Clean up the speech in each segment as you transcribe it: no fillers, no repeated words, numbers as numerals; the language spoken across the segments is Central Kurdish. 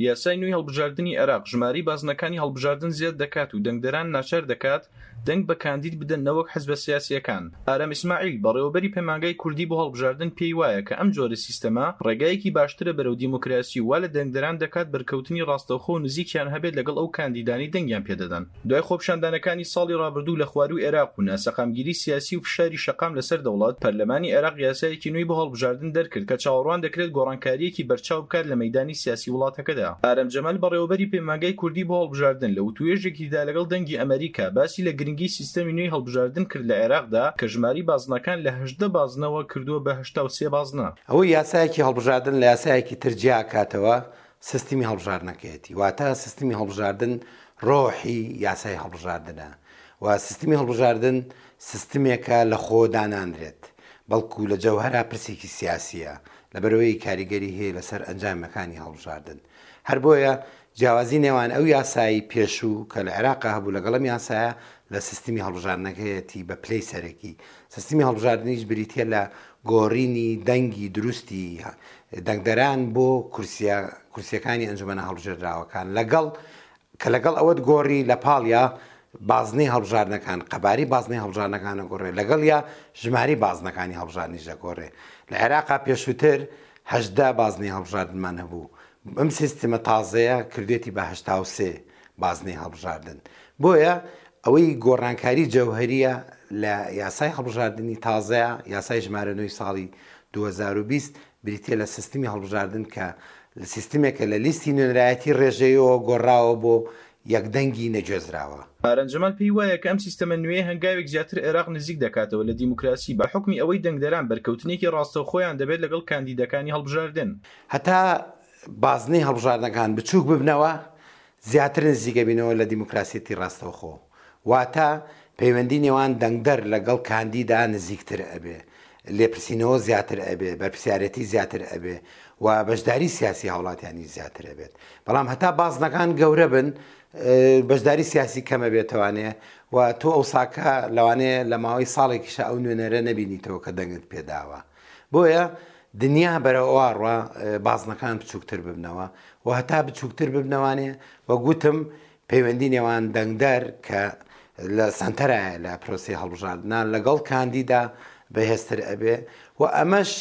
یاسای نوێی هەڵبژاردنی عێراق ژمارەی بازنەکانی هەڵبژاردن زیاد دەکات و دەنگدەران ناچار دەکات دەنگ بە کاندید بدەن نەوەک حزبە سیاسییەکان. ئارام ئیسماعیل، بەڕێوەبەری پەیمانگای کوردی بۆ هەڵبژاردن پێی وایە کە ئەم جۆرە سیستەمە ڕێگایەکی باشترە بەرەو دیموکراسی و وا لە دەنگدەران دەکات بەرکەوتنی ڕاستەوخۆ و نزیکیان هەبێت لەگەڵ ئەو کاندیدانەی دەنگیان پێدەدەن. دوای خۆپیشاندانەکانی ساڵی ڕابردوو لە خوارووی عێراق و ناسەقامگیری سیاسی و فشاری شەقام لەسەر دەوڵەت، پەرلەمانی عێراق یاسایەکی نوێی بۆ هەڵبژاردن دەرکرد کە چاوەڕوان دەکرێت گۆڕانکارییەکی بەرچاو بکات لە مەیدانی سیاسی وڵاتەکەدا. ئارام جەمال بەڕێوەبەری پەیمانگای کوردی بۆ هەڵبژاردن لە وتووێژێکیدا لەگەڵ دەنگی ئەمەریکا باسی لە گرنگی سیستەمی نوێی هەڵبژاردن کرد لە عێراقدا کە ژمارەی بازنەکان لە 18 بازنەوە کردووە بە 83 بازنە. ئەوەی یاسایەکی هەڵبژاردن لە یاسایەکی تر جیاکاتەوە سیستمی هەڵبژاردنەکەیەتی، واتە سیستمی هەڵبژاردن ڕۆحی یاسای هەڵبژاردنە و سیستمی هەڵبژاردن سیستمێکە لە خۆ دانانرێت، بەڵکو لە جەوهەرا پرسێکی سیاسییە، لەبەرئەوەی کاریگەری هەیە لەسەر ئەنجامەکانی هەڵبژاردن. هەر بۆیە جیاوازی نێوان ئەو یاسای پێشوو کە لە عێراقا هەبوو لەگەڵ ئەم یاسایە لە سیستمی هەڵبژاردنەکەیەتی بە پلەی سەرەکی. سیستمی هەڵبژاردنیش بریتییە لە گۆڕینی دەنگی دروستی دەنگدەران بۆ کورسیە کورسیەکانی ئەنجومەنە هەڵبژێردراوەکان لەگەڵ کە لەگەڵ ئەوەت گۆڕی لە پاڵیا بازنەی هەڵبژاردنەکان قەباری بازنەی هەڵبژاردنەکان ئەگۆڕێ لەگەڵیا ژماری بازنەکانی هەڵبژاردنیش دەگۆڕێ لە عێراقا پێشووتر 18 بازنەی هەڵبژاردنمان هەبوو ئەم سیستمە تازەیە کردێتی بە 83 بازنەی هەڵبژاردن بۆیە ئەوەی گۆڕانکاری جەوهەریە لە یاسای هەڵبژاردنی تازەیە، یاسای ژمارە نۆی ساڵی 2020، بریتیە لە سیستمی هەڵبژاردن کە سیستمێکە لە لیستی نوێنەرایەتی ڕێژەیەوە گۆڕاوە بۆ یەک دەنگی نەگوێزراوە. ئارام جەمال پێی وایە کە ئەم سیستەمە نوێیە هەنگاوێک زیاتر عێراق نزیک دەکاتەوە لە دیموکراسی بە حوکمی ئەوەی دەنگدەران بەرکەوتنێکی ڕاستەوخۆیان دەبێت لەگەڵ کاندیدەکانی هەڵبژاردن. هەتا بازنەی هەڵبژاردنەکان بچووک ببنەوە، زیاتر نزیکەبینەوە لە دیموکراسیەتی ڕاستەوخۆ، واتە پەیوەندی نێوان دەنگدەر لەگەڵ کاندیدا نزیکتر ئەبێ، لێپرسینەوە زیاتر ئەبێ، بەرپرسیارێتی زیاتر ئەبێ و بەشداری سیاسی هاوڵاتیانیش زیاتر ئەبێت. بەڵام هەتا بازنەکان گەورە بن بەشداری سیاسی کەم ئەبێتەوانێ و تۆ ئەوساکە لەوانەیە لە ماوەی ساڵێکیشا ئەو نوێنەرە نەبینیتەوە کە دەنگت پێداوە. بۆیە دنیا بەرەو ئەوە ڕوا بازنەکان بچووکتر ببنەوە و هەتا بچووکتر ببنەوانێ وەک وتم پەیوەندی نێوان دەنگدەر کە لە سەنتەرایە لە پرۆسی هەڵبژاردنا لەگەڵ کاندیدا بەهێزتر ئەبێ و ئەمەش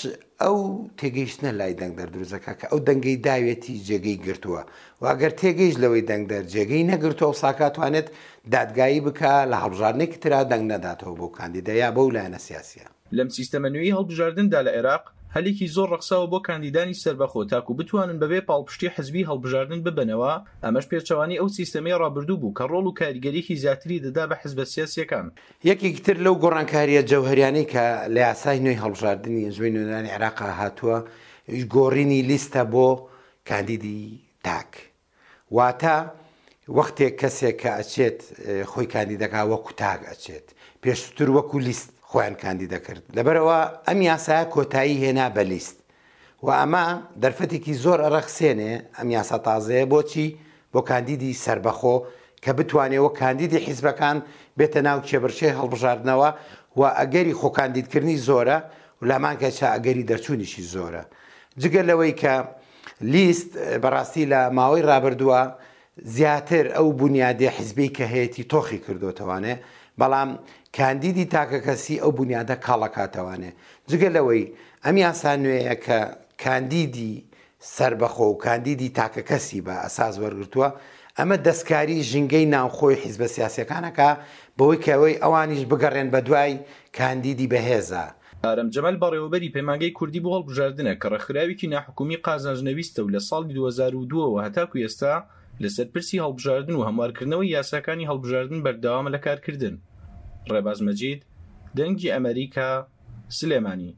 ئەو تێگەیشتنە لای دەنگدەر دروستەکە کە ئەو دەنگەی داوێتی جێگەی گرتووە و ئەگەر تێگەیشت لەوەی دەنگدەر جێگەی نەگرتووە ئەو ساکاتوانێت دادگایی بکە لە هەڵبژاردنێکی ترا دەنگ نەداتەوە بەو کاندیدە یا بەو لایەنە سیاسیە. لەم سیستەمە نوێی هەڵبژاردندا لە عێراق، هەلێکی زۆر ڕەخساوە بۆ کاندیدانی سەربەخۆ تاکو بتوانن بەبێ پاڵپشتی حزبی هەڵبژاردن ببەنەوە، ئەمەش پێچەوانەی ئەو سیستەمەی ڕابردوو بوو کە ڕۆڵ و کاریگەرییەکی زیاتری دەدا بە حزبە سیاسییەکان. یەکێکی تر لەو گۆڕانکارییە جەوهەریانەی کە لە یاسای نوێی هەڵبژاردنی ئەنجومەنی نوێنەرانی عێراق هاتووە، گۆڕینی لیستە بۆ کاندیدی تاک. واتە وەختێک کەسێک کە ئەچێت خۆی کاندید دەکات وەکو تاک ئەچێت، پێشووتر وەکو لیست خۆیان کاندید دەکرد، لەبەرئەوە ئەم یاسایە کۆتایی هێنا بە لیست و ئەمە دەرفەتێکی زۆر ئەڕەخسێنێ ئەم یاسا تازەیە بۆچی؟ بۆ کاندیدی سەربەخۆ کە بتوانێ وەک کاندیدی حیزبەکان بێتە ناو کێبڕکێی هەڵبژاردنەوە و ئەگەری خۆکاندیدکردنی زۆرە و لەهەمانکاتیشا ئەگەری دەرچوونیشی زۆرە جگە لەوەی کە لیست بەڕاستی لە ماوەی ڕابردووە زیاتر ئەو بونیادی حیزبی کە هەیەتی تۆخی کردۆتەوانێ بەڵام کاندیدی تاکەکەسی ئەو بونیادە کاڵەکاتەوانێ جگە لەوەی ئەم یاسا نوێیە کە کاندیدی سەربەخۆ و کاندیدی تاکەکەسی بە ئەساس وەرگرتووە ئەمە دەستکاری ژینگەی ناوخۆی حیزبە سیاسیەکانەکە بەوەی کە ئەوەی ئەوانیش بگەڕێن بەدوای کاندیدی بەهێزە. ئارام جەمال بەڕێوەبەری پەیمانگەی کوردی بۆ هەڵبژاردنە کە ڕێکخراوێکی ناحکومی قازانج نەویستە و لە ساڵی 2002 ەوە هەتاکو ئێستا لەسەر پرسی هەڵبژاردن و هەموارکردنەوەی یاساکانی هەڵبژاردن بەردەوامە لە کارکردن. ڕێباز مەجید، دەنگی ئەمەریکا، سلێمانی.